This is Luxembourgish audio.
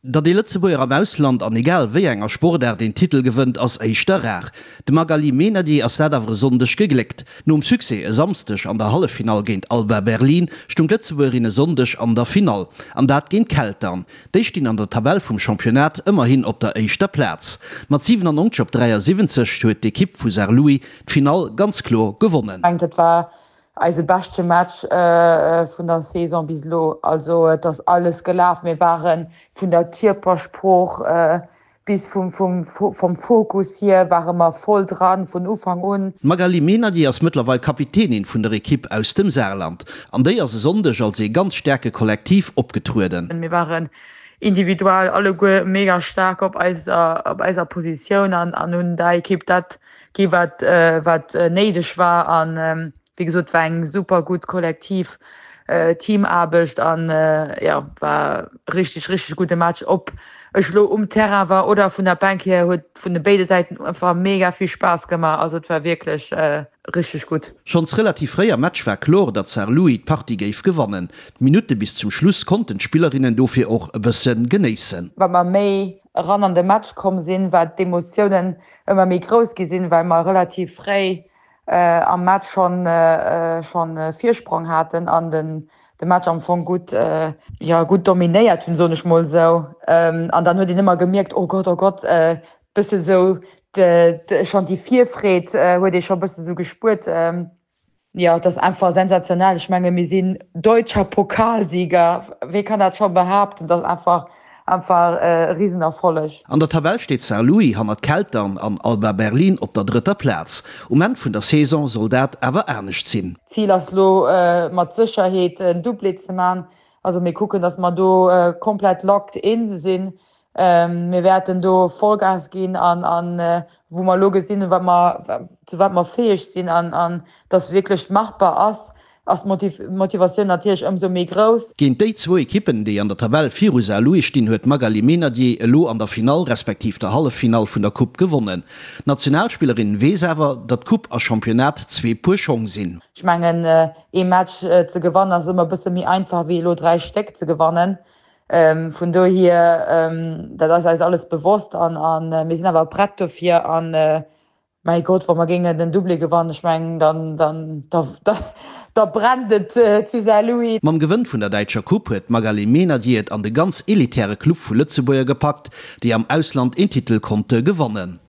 Datt ee Lëtzebuerger am Ausland an egal wéi enger Sportaart een Titel gewënnt, ass éischter rar. Dem Magaly Meynadier ass dat awer e Sonndeg gegléckt. Nom Succès e Samsdeg an der Halleffinall géint Alba Berlin stung d'Lëtzebuergerin e Sonndeg an der Finall, an dat géint Keltern. Déi stinn an der Tabell vum Championnat ëmmerhin op der éischter Plaz. Mat 97 op 73 huet d'Ekipp vu Saarlouis d'Finall ganz kloer gewonnen. Dat war Eise beschte Match vun der Saison bis elo. Also et ass alles gelaf. Mir ware vun der Kierpersprooch bis vum vum Fokus hier ware mer voll dran vun Ufank un. D'Magali Meynadier ass mëttlerweil Kapitänin vun der Ekipp aus dem Saarland. An déi ass e Sonndeg als ee ganz staarke Kollektiv opgetrueden. Mir waren individuell alleguer mega staark op eiser op eiser Positioun an hunn der Ekipp dat gi wat wat néideg war an wéi gesot war eng super gutt kollektiv Teamaarbecht an jo war richteg richteg gudde Match. Ob ech elo um Terrain war oder vun der Bänk hier huet vun de béide Säiten einfach mega vill Spaass gemaach, also et war wierklech richteg gutt. Schonns relativ fréi am Match war kloer, datt Saarlouis d'Partie géif gewannen. D'Minutte bis zum Schluss konnten d'Spillerinnen dofir och e bësse genéissen. Wat mer méi eran an de Match komm sinn, wat d'Emotiounen ëmmer méi grouss gi sinn, well mer relativ fréi am Match schonn schonn Virsprong haten an den de Match am Fong gutt jo gutt dominéiert hunn, soen ech mol esou. An dann huet een ëmmer gemierkt, oh Gott, oh Gott, bësse sou schonn déi Virfreed huet ee scho bësse sou gespuert. Jo, et ass einfach sensationell. Ech menge mir sinn deutscher Pokalsieger. Wee kann dat scho behaapten? Dat ass einfach einfach e Risenerfolleg. An der Tabell steet Saarlouis hannert Keltern an Alba Berlin op der drëtter Plaz. Um Enn vun der Saison soll dat awer anescht sinn. D'Zil ass lo mat Sécherheet en Doublé ze man. Also mir kucken, datt mer do komplett locked in sinn. Mir wäerten do Vollgas ginn an an wou mer elo gesinn, wat mer, zu wat mer fäeg sinn an an dass wierklech machbar ass, ass d'Motivatioun natierlech ëmsou méi grouss. Géint déi zwou Ekippen, déi an der Tabell viru Saarlouis stinn, huet d'Magali Meynadier elo an der Finall respektiv der Halleffinall vun der Coupe gewonnen. D'Nationalspillerin weess awer, datt Coupe a Championnat zwee Puer Schong sinn. Ech mengen, ee Match ze gewannen ass ëmmer e bësse méi einfach wéi elo 3 Stéck ze gewannen. Vun dohier, dat ass eis alles bewosst an mir sinn awer prett dofir. An mäi Gott, wa mer géingen den Doublé gewannen, ech mengen, dann, dann, da, da brennt et zu Saarlouis. Mam Gewënn vun der däitscher Coupe huet d'Magali Meynadier et an de ganz elitäre Club vu Lëtzebuerger gepackt, déi am Ausland een Titel konnte gewannen.